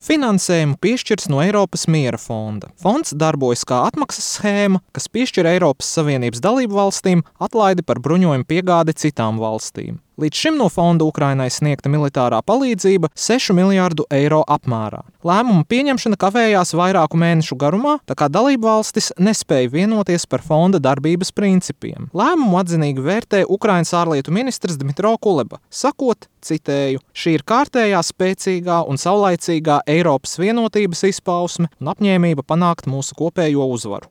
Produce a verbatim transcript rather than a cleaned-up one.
Finansējumu piešķirs no Eiropas miera fonda. Fonds darbojas kā atmaksas schēma, kas piešķir Eiropas Savienības dalību valstīm atlaidi par bruņojumu piegādi citām valstīm. Līdz šim no fonda Ukrainai sniegta militārā palīdzība sešu miljārdu eiro apmērā. Lēmuma pieņemšana kavējās vairāku mēnešu garumā, tā kā dalību valstis nespēja vienoties par fonda darbības principiem. Lēmumu atzinīgi vērtē Ukrainas ārlietu ministrs Dmitro Kuleba, sakot, citēju, šī ir kārtējā spēcīgā un saulaicīgā Eiropas vienotības izpausme un apņēmība panākt mūsu kopējo uzvaru.